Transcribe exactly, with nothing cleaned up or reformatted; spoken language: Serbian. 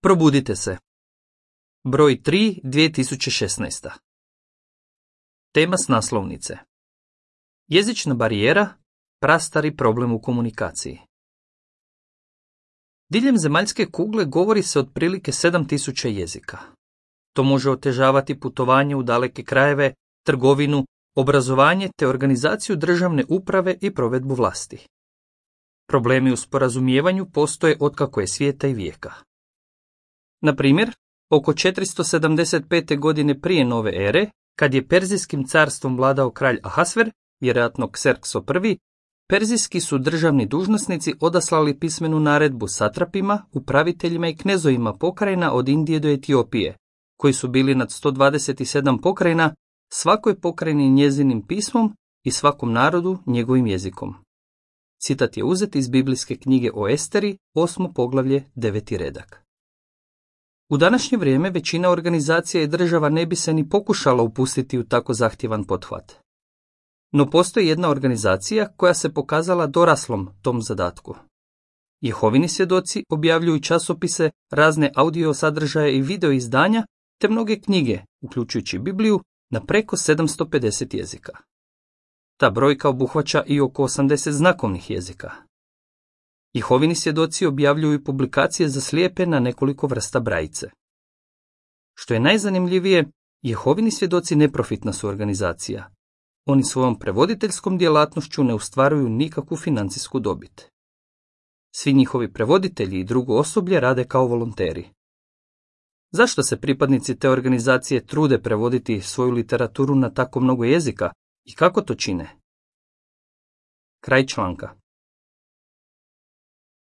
Probudite se. Broj tri dvije tisuće šesnaest. Tema s naslovnice. Jezična barijera, prastari problem u komunikaciji. Diljem zemaljske kugle govori se otprilike sedam tisuća jezika. To može otežavati putovanje u daleke krajeve, trgovinu, obrazovanje te organizaciju državne uprave i provedbu vlasti. Problemi u sporazumijevanju postoje otkako je svijeta i vijeka. Na primjer, oko četiristo sedamdeset pete godine prije nove ere, kad je Perzijskim carstvom vladao kralj Ahasver, vjerojatno Kserkso I, perzijski su državni dužnosnici odaslali pismenu naredbu satrapima, upraviteljima i knezovima pokrajina od Indije do Etiopije, koji su bili nad sto dvadeset sedam pokrajina, svakoj pokrajini njezinim pismom i svakom narodu njegovim jezikom. Citat je uzet iz biblijske knjige o Esteri, osmo poglavlje, deveti redak. U današnje vrijeme većina organizacija i država ne bi se ni pokušala upustiti u tako zahtjevan pothvat. No postoji jedna organizacija koja se pokazala doraslom tom zadatku. Jehovini svjedoci objavljuju časopise, razne audio sadržaje i video izdanja, te mnoge knjige, uključujući Bibliju, na preko sedamsto pedeset jezika. Ta brojka obuhvaća i oko osamdeset znakovnih jezika. Jehovini svjedoci objavljuju publikacije za slijepe na nekoliko vrsta brajice. Što je najzanimljivije, Jehovini svjedoci neprofitna su organizacija. Oni svojom prevoditeljskom djelatnošću ne ostvaruju nikakvu financijsku dobit. Svi njihovi prevoditelji i drugo osoblje rade kao volonteri. Zašto se pripadnici te organizacije trude prevoditi svoju literaturu na tako mnogo jezika i kako to čine? Kraj članka.